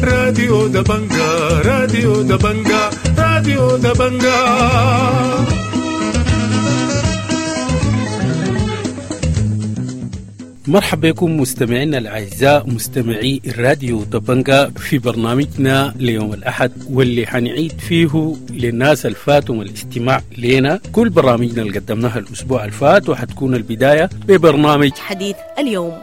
راديو دبنجا، راديو دبنجا، راديو دبنجا. مرحبا بكم مستمعينا الأعزاء مستمعي الراديو دبنجا في برنامجنا ليوم الأحد، واللي حنعيد فيه للناس الفاتهم الاستماع لنا كل برامجنا اللي قدمناها الأسبوع الفات، وحتكون البداية ببرنامج حديث اليوم.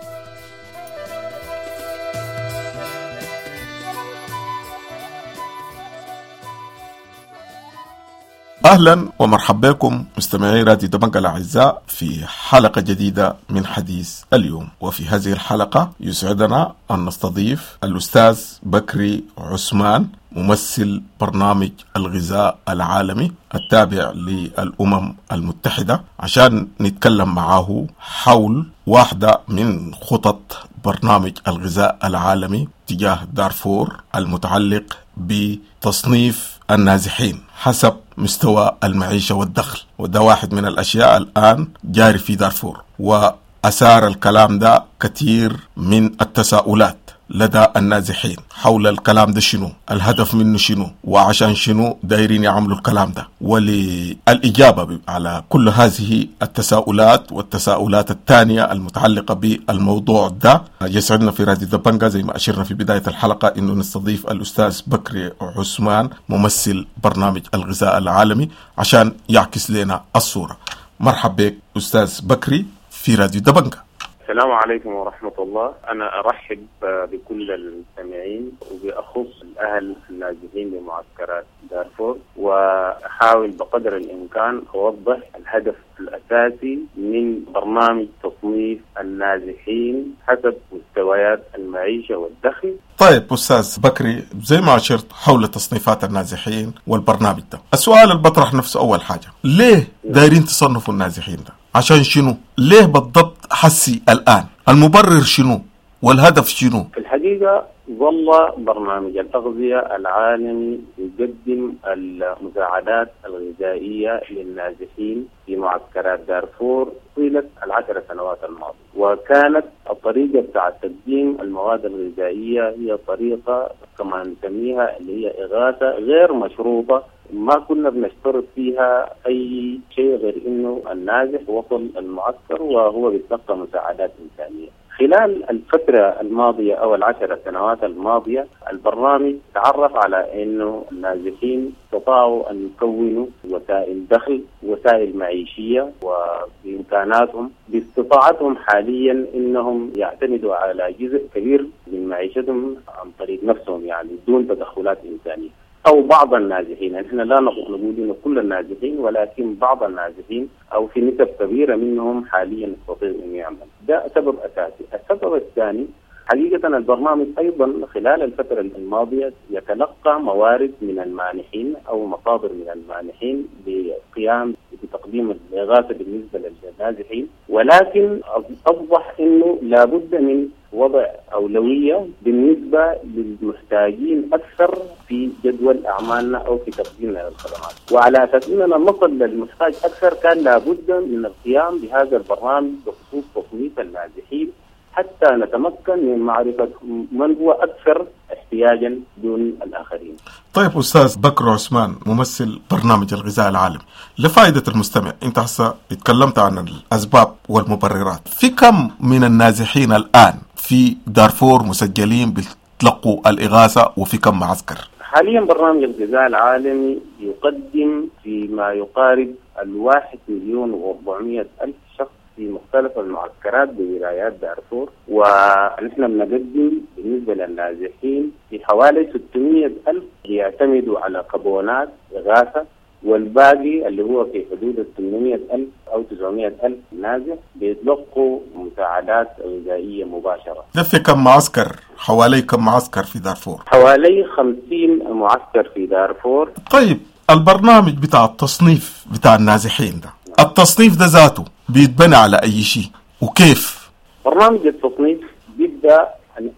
أهلا ومرحبا بكم مستمعي راديو دبنجا الأعزاء في حلقة جديدة من حديث اليوم. وفي هذه الحلقة يسعدنا أن نستضيف الأستاذ بكري عثمان، ممثل برنامج الغذاء العالمي التابع للأمم المتحدة، عشان نتكلم معه حول واحدة من خطط برنامج الغذاء العالمي تجاه دارفور المتعلق بتصنيف النازحين حسب مستوى المعيشة والدخل. وده واحد من الأشياء الآن جاري في دارفور، وأثار الكلام ده كثير من التساؤلات لدى النازحين حول الكلام ده، شنو الهدف منه، شنو وعشان شنو دايرين يعملوا الكلام ده. وللإجابة على كل هذه التساؤلات والتساؤلات الثانية المتعلقة بالموضوع ده، يسعدنا في راديو دبنجا زي ما أشرنا في بداية الحلقة إنه نستضيف الأستاذ بكري عثمان، ممثل برنامج الغذاء العالمي، عشان يعكس لنا الصورة. مرحبا بك أستاذ بكري في راديو دبنجا. السلام عليكم ورحمة الله. أنا أرحب بكل المستمعين وبأخص الأهل النازحين بمعسكرات دارفور، وأحاول بقدر الإمكان أوضح الهدف الأساسي من برنامج تصنيف النازحين حسب مستويات المعيشة والدخل. طيب أستاذ بكري، زي ما أشرت حول تصنيفات النازحين والبرنامج ده، السؤال اللي بطرح نفسه أول حاجة، ليه دايرين تصنفوا النازحين ده؟ عشان شنو؟ ليه بالضبط حسي الآن؟ المبرر شنو؟ والهدف شنو؟ في الحقيقة ظل برنامج الأغذية العالمي يقدم المساعدات الغذائية للنازحين في معسكرات دارفور طيلة 10 سنوات الماضية، وكانت الطريقة بتاع تقديم المواد الغذائية هي طريقة كما نسميها اللي هي إغاثة غير مشروطة، ما كنا بنشترط فيها أي شيء غير إنه النازح وصل المعسكر وهو بيتلقى مساعدات إنسانية. خلال الفترة الماضية أو 10 سنوات الماضية، البرنامج تعرف على أنه النازحين استطاعوا أن يكونوا وسائل دخل، وسائل معيشية، وبإمكاناتهم باستطاعتهم حاليا أنهم يعتمدوا على جزء كبير من معيشتهم عن طريق نفسهم، يعني دون تدخلات إنسانية. أو بعض النازحين، نحن لا نقول إنه كل النازحين، ولكن بعض النازحين أو في نسب كبيرة منهم حاليا يستطيع أن يعمل. ده سبب أساسي. السبب الثاني، حقيقة البرنامج أيضا خلال الفترة الماضية يتلقى موارد من المانحين أو مصادر من المانحين للقيام بتقديم الإغاثة بالنسبة للنازحين، ولكن أصبح أنه لابد من وضع أولوية بالنسبة للمحتاجين أكثر في جدول أعمالنا أو في تقديمنا للخدمات. وعلى أساس أننا نصل للمحتاج أكثر كان لابد من القيام بهذا البرنامج بخصوص تصنيف النازحين حتى نتمكن من معرفة من هو أكثر احتياجا دون الآخرين. طيب أستاذ بكر عثمان، ممثل برنامج الغذاء العالمي، لفائدة المستمع، أنت هسه اتكلمت عن الأسباب والمبررات، في كم من النازحين الآن في دارفور مسجلين بيتلقوا الإغاثة وفي كم معسكر؟ حاليا برنامج الغذاء العالمي يقدم فيما يقارب 1,400,000 شخص في مختلف المعسكرات بولايات دارفور، ونحن بنقدم بالنسبة للنازحين في حوالي 600,000 يعتمدوا على كابونات إغاثة، والباقي اللي هو في حدود 800,000 أو 900,000 نازح بيتلقوا مساعدات غذائية مباشرة. ده في كم معسكر؟ حوالي كم معسكر في دارفور؟ حوالي 50 معسكر في دارفور. طيب البرنامج بتاع التصنيف بتاع النازحين ده، التصنيف ده ذاته بيتبنى على أي شيء وكيف؟ برنامج التصنيف بيبدأ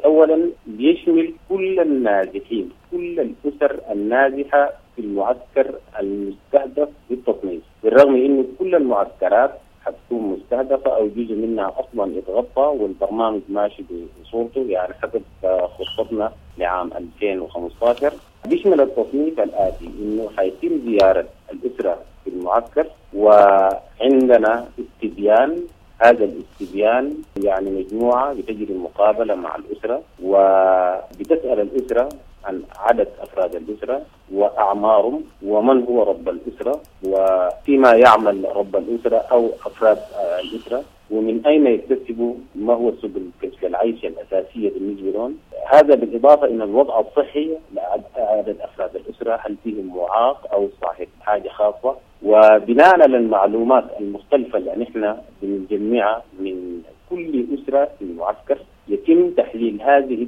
أولا بيشمل كل النازحين، كل الأسر النازحة في المعسكر المستهدف بالتصنيف، بالرغم أنه كل المعسكرات حتكون مستهدفة المستهدفة أو جزء منها أصلا اتغطى والبرنامج ماشي بصورته، يعني حسب خطتنا لعام 2015. بيشمل التصنيف الآتي: إنه حيتم زيارة الأسرة في المعسكر، وعندنا استبيان. هذا الاستبيان يعني مجموعة بتجري مقابلة مع الأسرة وبتسأل الأسرة عن عدد أفراد الأسرة وأعمارهم ومن هو رب الأسرة وفيما يعمل رب الأسرة أو أفراد الأسرة ومن أين يكتسبوا، ما هو سبل كسب العيش الأساسية بالنسبة لهم. هذا بالإضافة إلى الوضع الصحي لعدد أفراد الأسرة، هل فيهم معاق أو صاحب حاجة خاصة. وبناء على المعلومات المختلفة اللي نحن بنجمعها من كل أسرة في المعسكر يتم تحليل هذه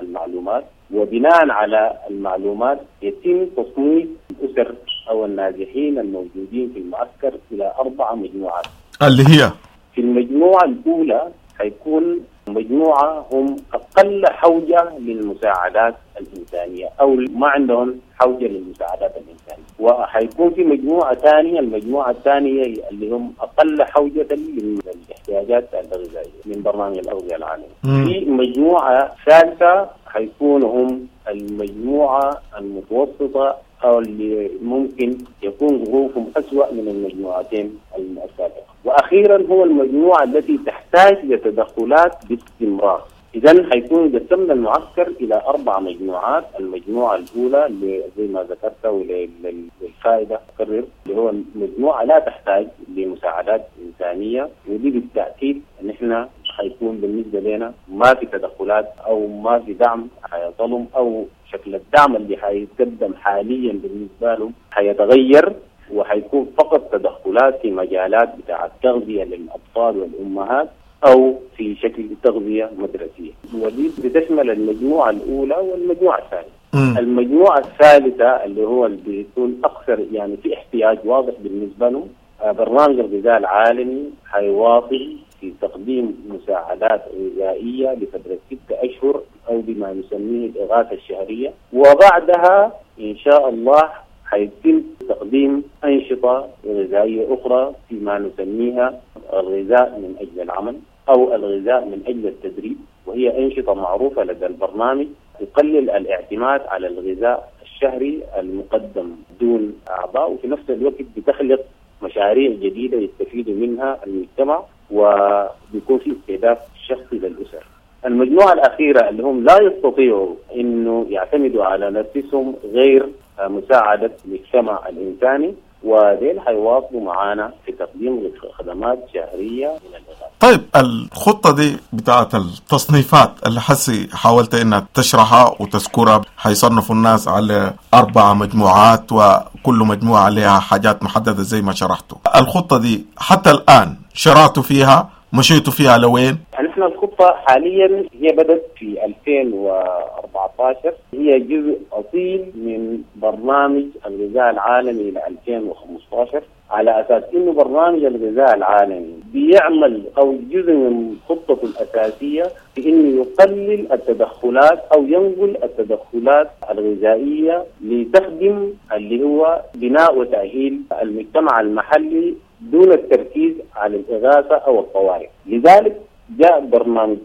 المعلومات، وبناء على المعلومات يتم تصنيف الأسر أو النازحين الموجودين في المعسكر إلى 4 مجموعات، اللي هي في المجموعة الأولى حيكون مجموعة هم أقل حوجة للمساعدات الإنسانية أو ما عندهم حوجة للمساعدات الإنسانية، وحيكون في مجموعة ثانية، المجموعة الثانية اللي هم أقل حوجة للاحتياجات الغذائية من برنامج الأغذية العالمي. في مجموعة ثالثة حيكونوا هم المجموعة المتوسطة أو اللي ممكن يكون ظروفهم أسوأ من المجموعتين السابقة، وأخيرا هو المجموعة التي تحتاج لتدخلات باستمرار. إذن حيكون قسمنا المعسكر إلى 4 مجموعات. المجموعة الأولى اللي زي ما ذكرت وللفائدة أكرر، اللي هو مجموعة لا تحتاج لمساعدات إنسانية، ودي بالتأكيد نحن حيكون بالنسبة لنا ما في تدخلات أو ما في دعم حيصلهم، أو شكل الدعم اللي حيتقدم حاليا بالنسبة لهم حيتغير، وحيكون فقط تدخلات في مجالات بتاع التغذية للأطفال والأمهات أو في شكل تغذية مدرسية، ودي بتشمل المجموعة الأولى والمجموعة الثانية. المجموعة الثالثة اللي هو اللي بيكون أكثر يعني في احتياج واضح بالنسبة لهم، برنامج الغذاء العالمي حيواصل في تقديم مساعدات غذائية لفترة 6 أشهر أو بما نسميه الإغاثة الشهرية، وبعدها إن شاء الله حيتم تقديم أنشطة غذائية أخرى فيما نسميها الغذاء من أجل العمل أو الغذاء من أجل التدريب، وهي أنشطة معروفة لدى البرنامج تقلل الاعتماد على الغذاء الشهري المقدم دون أعضاء، وفي نفس الوقت بتخلق مشاريع جديدة يستفيد منها المجتمع وبيكون في استهداف شخصي للأسر. المجموعة الأخيرة اللي هم لا يستطيعوا إنه يعتمدوا على نفسهم غير مساعدة المجتمع الإنساني، وديل حيواصلوا معانا في تقديم خدمات شهرية من الإغاثة. طيب الخطة دي بتاعت التصنيفات اللي حسي حاولت إنها تشرحها وتذكرها، حيصنفوا الناس على 4 مجموعات وكل مجموعة عليها حاجات محددة زي ما شرحته. الخطة دي حتى الآن شرعتوا فيها، مشيتوا فيها لوين؟ نحن الخطة حاليا هي بدأت في 2014، هي جزء أصيل من برنامج الغذاء العالمي ل 2015، على أساس إنه برنامج الغذاء العالمي بيعمل أو جزء من خطته الأساسية في إنه يقلل التدخلات أو ينقل التدخلات الغذائية لتخدم اللي هو بناء وتأهيل المجتمع المحلي دون التركيز على الإغاثة أو الطوارئ. لذلك جاء برنامج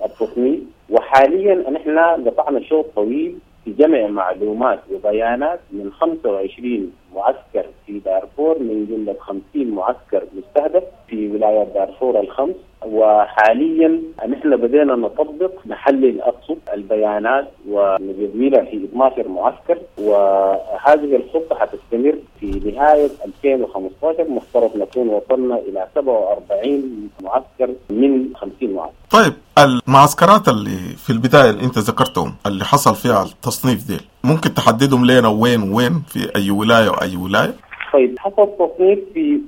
التصنيف، وحاليا نحن قطعنا شوط طويل في جمع معلومات وبيانات من 25 معسكر في دارفور، من جملة 50 معسكر مستهدف في ولايات دارفور الخمس. وحاليا نحن بدينا نطبق نحلل أقصد البيانات ونجدولها في 12 معسكر، وهذه الخطة حتستمر في نهاية 2015. مفترض نكون وصلنا إلى 47 معسكر من 50 معسكر. طيب المعسكرات اللي في البداية اللي أنت ذكرتهم اللي حصل فيها التصنيف دي، ممكن تحددهم لنا وين وين في أي ولاية وأي ولاية؟ طيب حصل تصنيف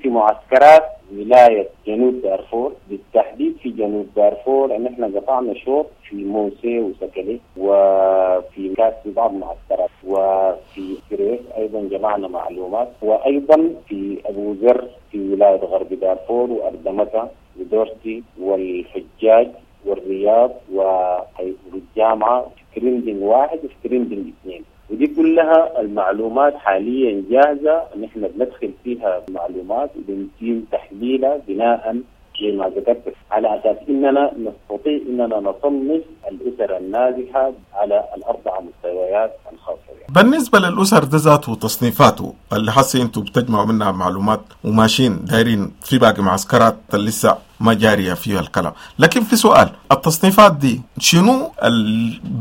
في معسكرات ولاية جنوب دارفور، بالتحديد في جنوب دارفور ان احنا قطعنا شوط في موسى وسكلي وفي كاس في بعض المعسكرات، وفي كريس ايضا جمعنا معلومات، وايضا في ابو ذر في ولاية غرب دارفور واردمتا ودورتي والحجاج والرياض والجامعة في كريندين 1 وفي كريندين 2. ودي كلها المعلومات حاليا جاهزة، نحن بندخل فيها معلومات وبنتم تحليلها بناء زي ما ذكرت على اساس اننا نستطيع اننا نصنف الاسر النازحه على الاربع مستويات الخاصة بها. بالنسبة للأسر ده ذاته وتصنيفاته اللي حاسي انتوا بتجمعوا منها معلومات وماشيين دايرين في باقي معسكرات اللي لسه ما جارية فيها الكلام، لكن في سؤال، التصنيفات دي شنو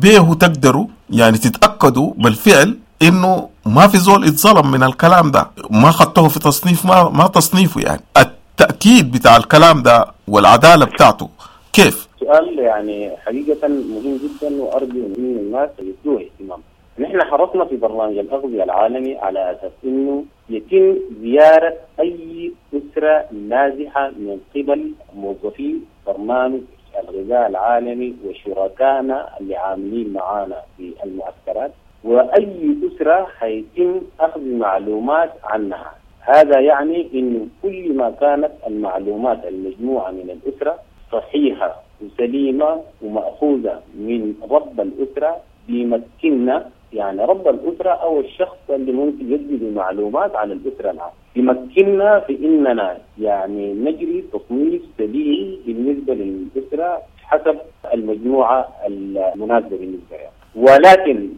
بيه تقدروا يعني تتأكدوا بالفعل انه ما في زول اتظلم من الكلام ده، ما خدته في تصنيف ما تصنيفه، يعني التأكيد بتاع الكلام ده والعدالة بتاعته كيف؟ سؤال يعني حقيقة مهم جدا، وأرجو من الناس يدوه اهتمام. نحن حرصنا في برنامج الأغذية العالمي على أساس أنه يتم زيارة أي أسرة نازحة من قبل موظفي برنامج الغذاء العالمي وشركائنا اللي عاملين معانا في المعسكرات، وأي أسرة حيتم أخذ معلومات عنها. هذا يعني أنه كل ما كانت المعلومات المجموعة من الأسرة صحيحة وسليمة ومأخوذة من رب الأسرة بيمكننا، يعني رب الأسرة أو الشخص اللي ممكن يدي معلومات عن الأسرة العامة، يمكننا في إننا يعني نجري تصنيف سليم بالنسبة للأسرة حسب المجموعة المناسبة بالنسبة لها. ولكن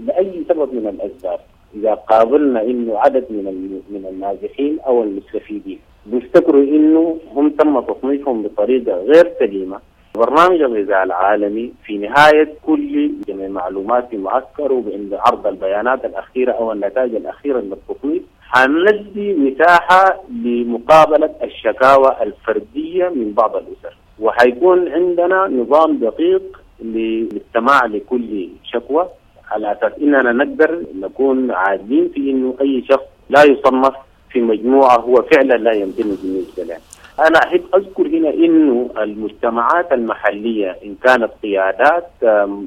لأي سبب من الأسباب إذا قابلنا إنه عدد من النازحين أو المستفيدين بيفتكروا إنه هم تم تصنيفهم بطريقة غير سليمة، برنامج الغذاء العالمي في نهاية كل جمع معلومات في معسكر وعند عرض البيانات الأخيرة أو النتائج الأخيرة للتصنيف حندي مساحة لمقابلة الشكاوى الفردية من بعض الأسر، وحيكون عندنا نظام دقيق للاستماع لكل شكوى على أساس إننا نقدر نكون عادلين في إنه أي شخص لا يصنف في مجموعة هو فعلا لا ينتمي بالنسبة له. أنا أحب أذكر هنا إنه المجتمعات المحلية إن كانت قيادات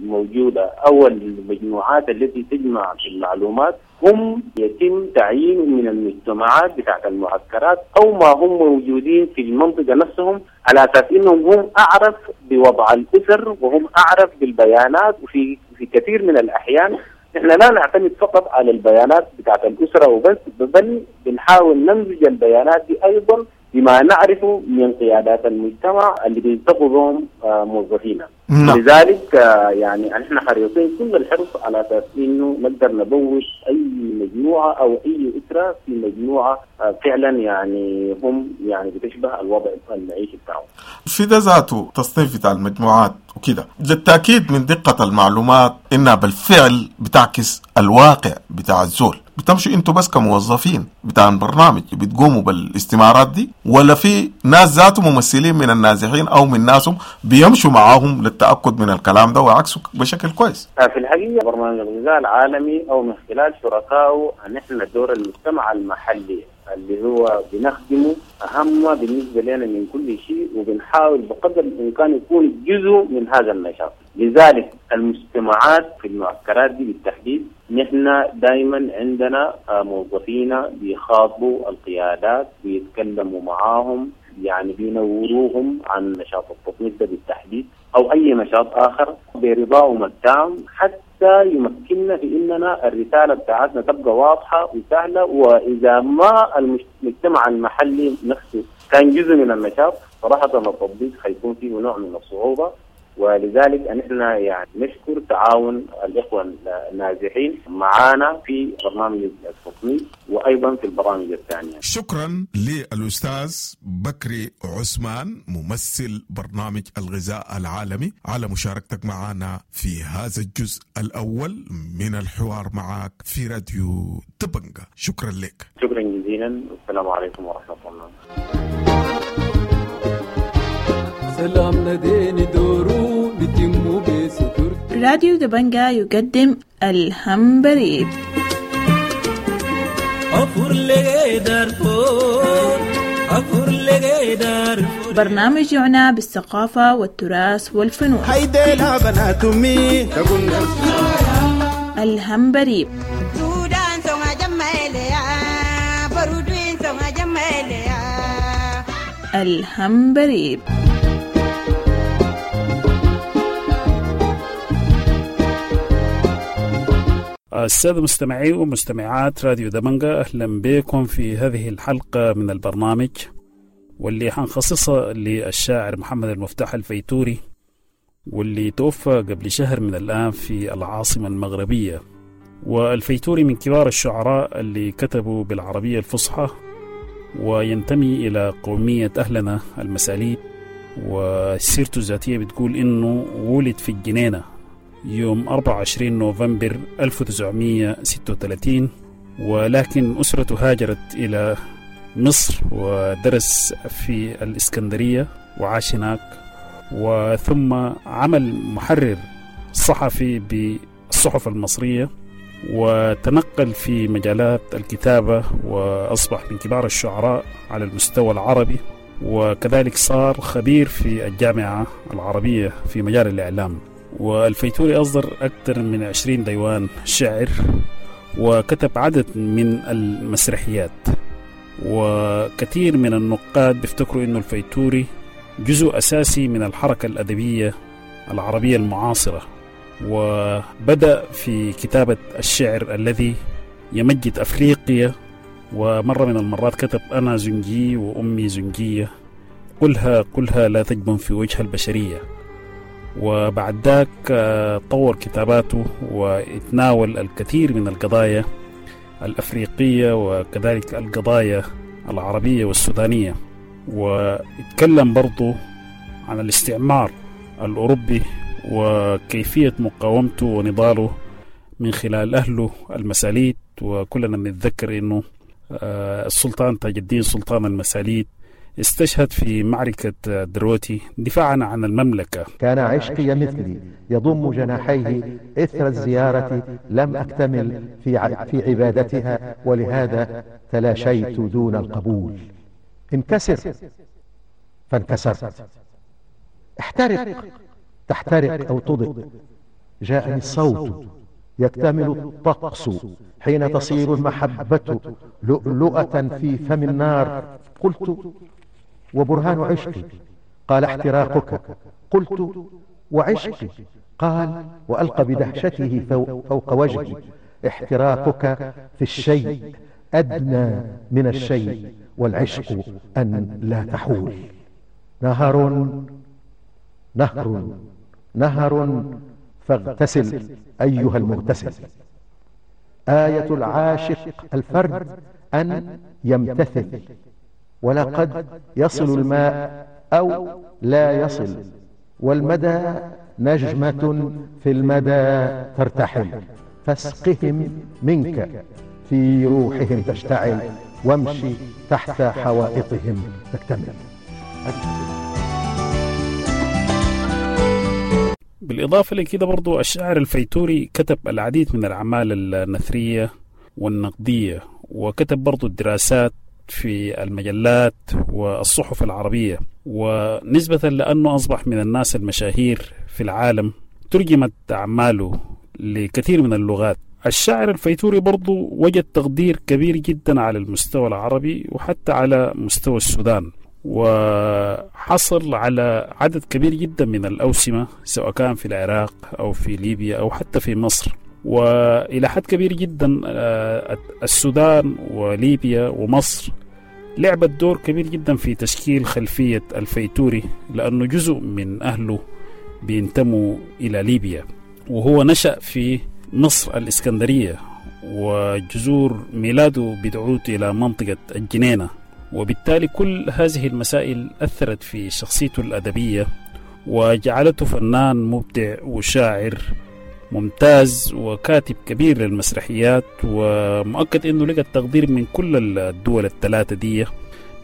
موجودة أو المجموعات التي تجمع المعلومات هم يتم تعيينهم من المجتمعات بتاعت المعسكرات أو ما هم موجودين في المنطقة نفسهم، على أساس إنهم هم أعرف بوضع الأسر وهم أعرف بالبيانات. وفي في كثير من الأحيان نحن لا نعتمد فقط على البيانات بتاعت الأسرة وبس، بل بنحاول نمزج البيانات دي أيضا بما نعرفه من قيادات المجتمع اللي بيلتقوا بهم موظفينا. لذلك يعني نحن حريصين كل الحرص على اساس انه نقدر نبوش اي مجموعة او اي اسره في مجموعة فعلا يعني هم يعني بتشبه الوضع المعيشي بتاعهم. في ده ذاته تصنيف بتاع المجموعات وكده للتاكيد من دقه المعلومات انها بالفعل بتعكس الواقع بتاع الزول. بتمشوا انتوا بس كموظفين بتاع البرنامج بتقوموا بالاستمارات دي، ولا في ناس ذاته ممثلين من النازحين او من ناسهم بيمشوا معاهم للتاكد من الكلام ده وعكسه بشكل كويس؟ في الحقيقة برنامج الغذاء العالمي او من خلال شركائه نحن دور المجتمع المحلي اللي هو بنخدمه اهم بالنسبة لنا من كل شيء، وبنحاول بقدر الامكان يكون جزء من هذا النشاط. لذلك المجتمعات في المعسكرات دي بالتحديد نحن دائما عندنا موظفين بيخاطبوا القيادات، بيتكلموا معاهم، يعني بينوروهم عن نشاط التصنيف ده بالتحديد او اي نشاط اخر برضاهم التام، حتى يمكننا في اننا الرسالة بتاعتنا تبقى واضحة وسهلة. واذا ما المجتمع المحلي نفسه كان جزء من النشاط صراحة التطبيق حيكون فيه نوع من الصعوبة. ولذلك نحن يعني نشكر تعاون الإخوة النازحين معنا في برنامج التصنيف وأيضا في البرامج الثانية. شكرا للأستاذ بكري عثمان ممثل برنامج الغذاء العالمي على مشاركتك معنا في هذا الجزء الأول من الحوار معك في راديو دبنجا. شكرا لك. شكرا جزيلا والسلام عليكم ورحمة الله. سلام نديني دورو بتمو بستر. راديو دبنجا يقدم الهمبريب. برنامج يعنى بالثقافة والتراث والفنون. الهمبريب. الهمبريب. السادة مستمعي ومستمعات راديو دبنجا، أهلا بكم في هذه الحلقة من البرنامج. واللي حنخصصها للشاعر محمد المفتاح الفيتوري، واللي توفى قبل شهر من الآن في العاصمة المغربية. والفيتوري من كبار الشعراء اللي كتبوا بالعربية الفصحى، وينتمي إلى قومية أهلنا المساليت. وسيرته الذاتية بتقول إنه ولد في الجنينة يوم 24 نوفمبر 1936، ولكن أسرته هاجرت إلى مصر ودرس في الإسكندرية وعاش هناك، وثم عمل محرر صحفي بالصحف المصرية، وتنقل في مجالات الكتابة وأصبح من كبار الشعراء على المستوى العربي، وكذلك صار خبير في الجامعة العربية في مجال الإعلام. والفيتوري أصدر أكثر من 20 ديوان شعر، وكتب عدد من المسرحيات. وكثير من النقاد بيفتكروا أنه الفيتوري جزء أساسي من الحركة الأدبية العربية المعاصرة، وبدأ في كتابة الشعر الذي يمجد أفريقيا. ومرة من المرات كتب: أنا زنجي وأمي زنجية، قلها قلها لا تجبن في وجه البشرية. وبعد ذاك طور كتاباته واتناول الكثير من القضايا الأفريقية وكذلك القضايا العربية والسودانية، واتكلم برضو عن الاستعمار الأوروبي وكيفية مقاومته ونضاله من خلال أهله المساليت. وكلنا بنتذكر أنه السلطان تاج الدين سلطان المساليت استشهد في معركة دروتي دفاعا عن المملكة. كان عشقي مثلي يضم جناحيه إثر الزيارة، لم أكتمل في عبادتها، ولهذا تلاشيت دون القبول. انكسر فانكسرت، احترق تحترق أو تضئ. جاءني الصوت يكتمل الطقس حين تصير المحبة لؤلؤة في فم النار. قلت: وبرهان عشقي؟ قال: احتراقك. قلت: وعشقي؟ قال، وألقى بدهشته فوق وجهي: احتراقك في الشيء أدنى من الشيء، والعشق أن لا تحول. نهر نهر نهر فاغتسل أيها المغتسل. آية العاشق الفرد أن يمتثل، ولقد يصل الماء أو لا يصل، والمدى نجمة في المدى ترتحل. فاسقهم منك في روحهم تشتعل، وامشي تحت حوائطهم تكتمل. بالإضافة لكده برضو الشاعر الفيتوري كتب العديد من الأعمال النثرية والنقدية، وكتب برضو الدراسات في المجلات والصحف العربية. ونسبة لأنه أصبح من الناس المشاهير في العالم ترجمت أعماله لكثير من اللغات. الشاعر الفيتوري برضو وجد تقدير كبير جدا على المستوى العربي وحتى على مستوى السودان، وحصل على عدد كبير جدا من الأوسمة سواء كان في العراق أو في ليبيا أو حتى في مصر. وإلى حد كبير جدا السودان وليبيا ومصر لعبت دور كبير جدا في تشكيل خلفية الفيتوري، لأنه جزء من أهله بينتموا إلى ليبيا، وهو نشأ في مصر الإسكندرية، وجذور ميلاده بتعود إلى منطقة الجنينة، وبالتالي كل هذه المسائل أثرت في شخصيته الأدبية وجعلته فنان مبدع وشاعر ممتاز وكاتب كبير للمسرحيات، ومؤكد أنه لقى التقدير من كل الدول الثلاثة دي.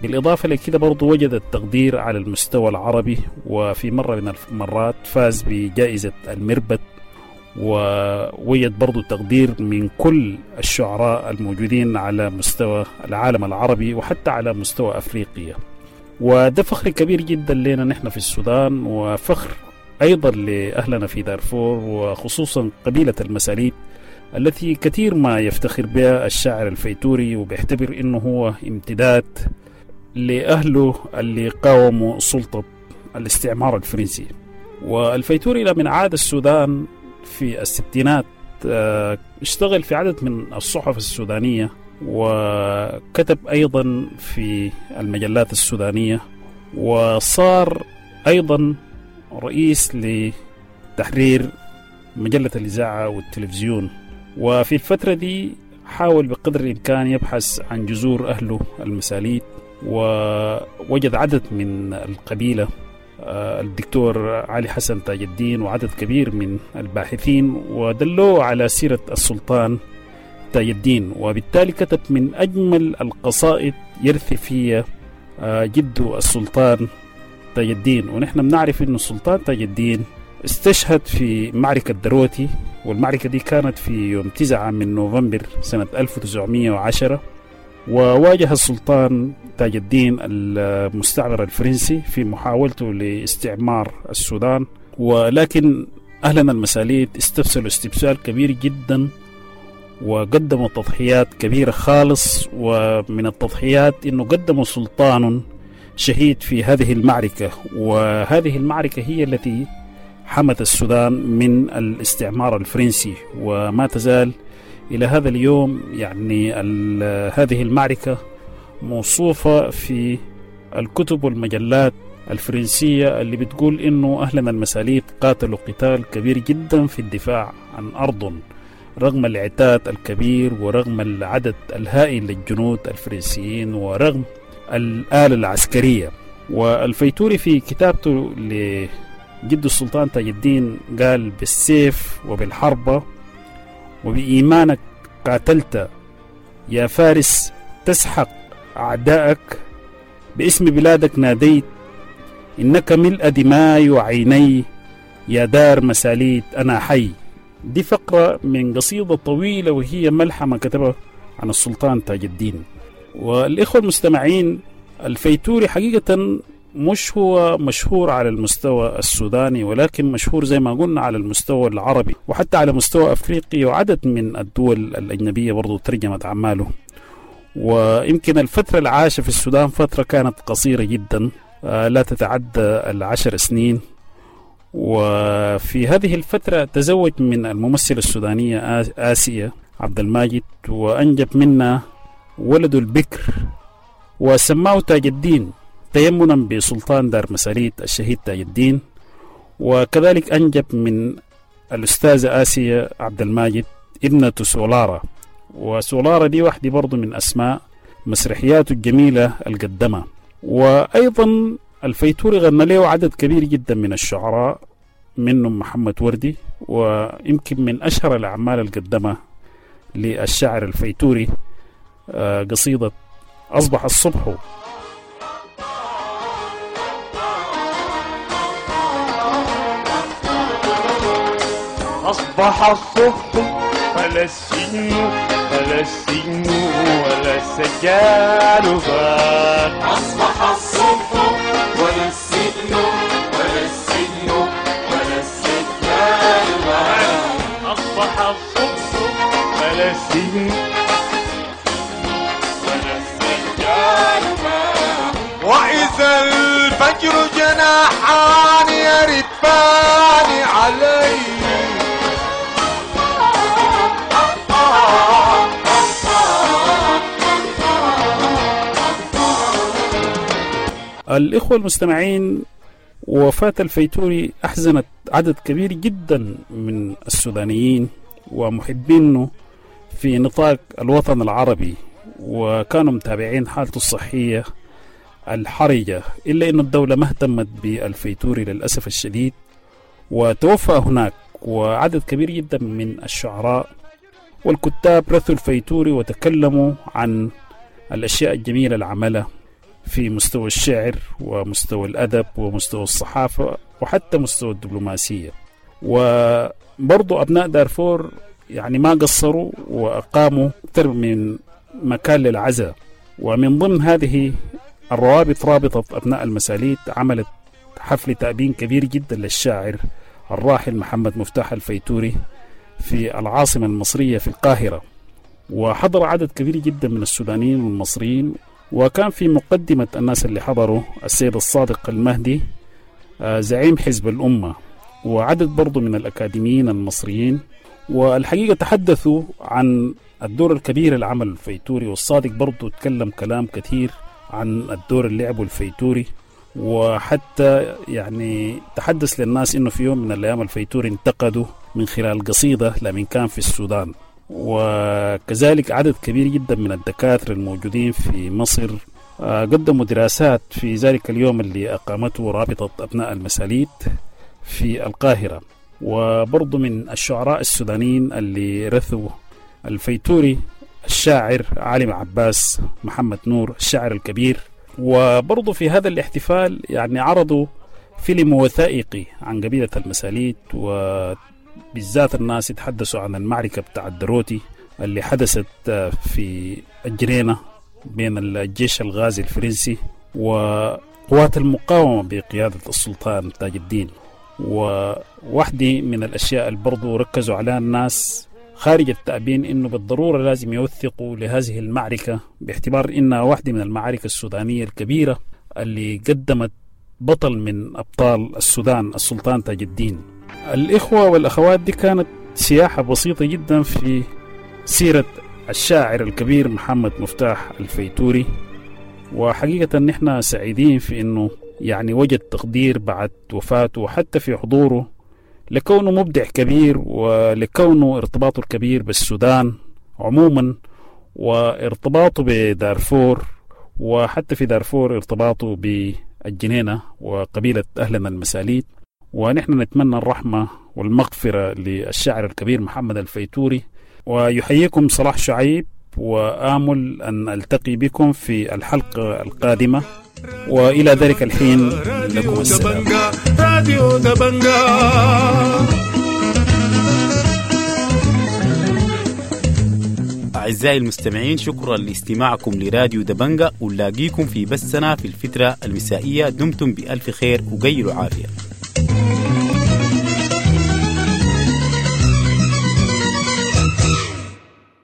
بالإضافة لكده برضو وجد التقدير على المستوى العربي، وفي مرة من المرات فاز بجائزة المربد، ووجد برضو تقدير من كل الشعراء الموجودين على مستوى العالم العربي وحتى على مستوى أفريقيا. وده فخر كبير جدا لنا نحن في السودان، وفخر أيضا لأهلنا في دارفور، وخصوصا قبيلة المساليت التي كثير ما يفتخر بها الشاعر الفيتوري، وبيعتبر إنه هو امتداد لأهله اللي قاوموا سلطة الاستعمار الفرنسي. والفيتوري لما عاد السودان في الستينات اشتغل في عدد من الصحف السودانية، وكتب أيضا في المجلات السودانية، وصار أيضا رئيس لتحرير مجلة الإذاعة والتلفزيون. وفي الفترة دي حاول بقدر الإمكان يبحث عن جذور أهله المساليت، ووجد عدد من القبيلة، الدكتور علي حسن تاج الدين وعدد كبير من الباحثين، ودلوه على سيرة السلطان تاج الدين، وبالتالي كتب من أجمل القصائد يرثي فيها جده السلطان تاج الدين. ونحن بنعرف أن السلطان تاج الدين استشهد في معركة دروتي، والمعركة دي كانت في يوم 9 من نوفمبر سنة 1910، وواجه السلطان تاج الدين المستعمر الفرنسي في محاولته لاستعمار السودان، ولكن أهلنا المساليت استبسلوا استبسال كبير جدا وقدموا تضحيات كبيرة خالص. ومن التضحيات إنه قدموا سلطان شهيد في هذه المعركة، وهذه المعركة هي التي حمت السودان من الاستعمار الفرنسي، وما تزال إلى هذا اليوم يعني هذه المعركة موصوفة في الكتب والمجلات الفرنسية اللي بتقول إنه أهلنا المساليت قاتلوا قتال كبير جدا في الدفاع عن أرضهم رغم العتاد الكبير ورغم العدد الهائل للجنود الفرنسيين ورغم الآلة العسكرية. والفيتوري في كتابته لجد السلطان تاج الدين قال: بالسيف وبالحربة وبإيمانك قاتلت يا فارس تسحق أعداءك، باسم بلادك ناديت إنك ملء دماي وعيني يا دار مساليت أنا حي. دي فقرة من قصيدة طويلة وهي ملحمة كتبها عن السلطان تاج الدين. والإخوة المستمعين، الفيتوري حقيقة مش هو مشهور على المستوى السوداني، ولكن مشهور زي ما قلنا على المستوى العربي وحتى على مستوى أفريقي، وعدد من الدول الأجنبية برضو ترجمت أعماله. ويمكن الفترة اللي عاش في السودان فترة كانت قصيرة جدا، لا تتعدى 10 سنين. وفي هذه الفترة تزوج من الممثلة السودانية آسيا عبد الماجد، وأنجب منها ولده البكر وسماه تاج الدين تيمنا بسلطان دار مساليت الشهيد تاج الدين. وكذلك أنجب من الأستاذة آسيا عبد الماجد ابنة سولارا، وسولارا دي واحدة برضو من أسماء مسرحياته الجميلة القدمة. وأيضا الفيتوري غنى له عدد كبير جدا من الشعراء، منهم محمد وردي، ويمكن من أشهر الأعمال القدمة للشاعر الفيتوري قصيدة أصبح الصبح. أصبح الصبح فلا السجن فلا السجن ولا السجال بات. أصبح الصبح ولا السجن ولا السجن ولا السجال بات. أصبح الصبح فلا السجن ولا السجال بات. وإذا الفجر جناحان يرفان علي. الإخوة المستمعين، وفاة الفيتوري أحزنت عدد كبير جدا من السودانيين ومحبينه في نطاق الوطن العربي، وكانوا متابعين حالته الصحية الحرجة، إلا أن الدولة ما اهتمت بالفيتوري للأسف الشديد وتوفى هناك. وعدد كبير جدا من الشعراء والكتاب رثوا الفيتوري وتكلموا عن الأشياء الجميلة اللي عملها في مستوى الشعر ومستوى الأدب ومستوى الصحافة وحتى مستوى الدبلوماسية. وبرضو أبناء دارفور يعني ما قصروا وأقاموا أكثر من مكان للعزاء، ومن ضمن هذه الروابط رابطة أبناء المساليت عملت حفل تأبين كبير جدا للشاعر الراحل محمد مفتاح الفيتوري في العاصمة المصرية في القاهرة، وحضر عدد كبير جدا من السودانيين والمصريين. وكان في مقدمة الناس اللي حضروا السيد الصادق المهدي زعيم حزب الأمة، وعدد برضو من الأكاديميين المصريين. والحقيقة تحدثوا عن الدور الكبير اللي عمله الفيتوري، والصادق برضو تكلم كلام كثير عن الدور اللي لعبه الفيتوري، وحتى يعني تحدث للناس انه في يوم من الايام الفيتوري انتقده من خلال قصيدة لمن كان في السودان. وكذلك عدد كبير جدا من الدكاترة الموجودين في مصر قدموا دراسات في ذلك اليوم اللي أقامته رابطة أبناء المساليت في القاهرة. وبرضو من الشعراء السودانيين اللي رثوا الفيتوري الشاعر علي عباس محمد نور الشاعر الكبير. وبرضو في هذا الاحتفال يعني عرضوا فيلم وثائقي عن قبيلة المساليت، وبالذات الناس يتحدثوا عن المعركة بتاع الدروتي اللي حدثت في الجنينة بين الجيش الغازي الفرنسي وقوات المقاومة بقيادة السلطان تاج الدين. وواحدة من الأشياء اللي برضو ركزوا عليها الناس خارج التأبين إنه بالضرورة لازم يوثقوا لهذه المعركة، باعتبار إنها واحدة من المعارك السودانية الكبيرة اللي قدمت بطل من أبطال السودان السلطان تاج الدين. الإخوة والأخوات، دي كانت سياحة بسيطة جدا في سيرة الشاعر الكبير محمد مفتاح الفيتوري. وحقيقة نحن سعيدين في إنه يعني وجد تقدير بعد وفاته وحتى في حضوره، لكونه مبدع كبير ولكونه ارتباطه الكبير بالسودان عموما وارتباطه بدارفور، وحتى في دارفور ارتباطه بالجنينة وقبيلة أهلنا المساليت. ونحن نتمنى الرحمة والمغفرة للشاعر الكبير محمد الفيتوري. ويحييكم صلاح شعيب، وآمل أن ألتقي بكم في الحلقة القادمة، وإلى ذلك الحين لكم السلام. راديو دبنجا. أعزائي المستمعين، شكرا لاستماعكم لراديو دبنجا، ونلاقيكم في بثنا في الفترة المسائية. دمتم بألف خير وقيلوا عافية.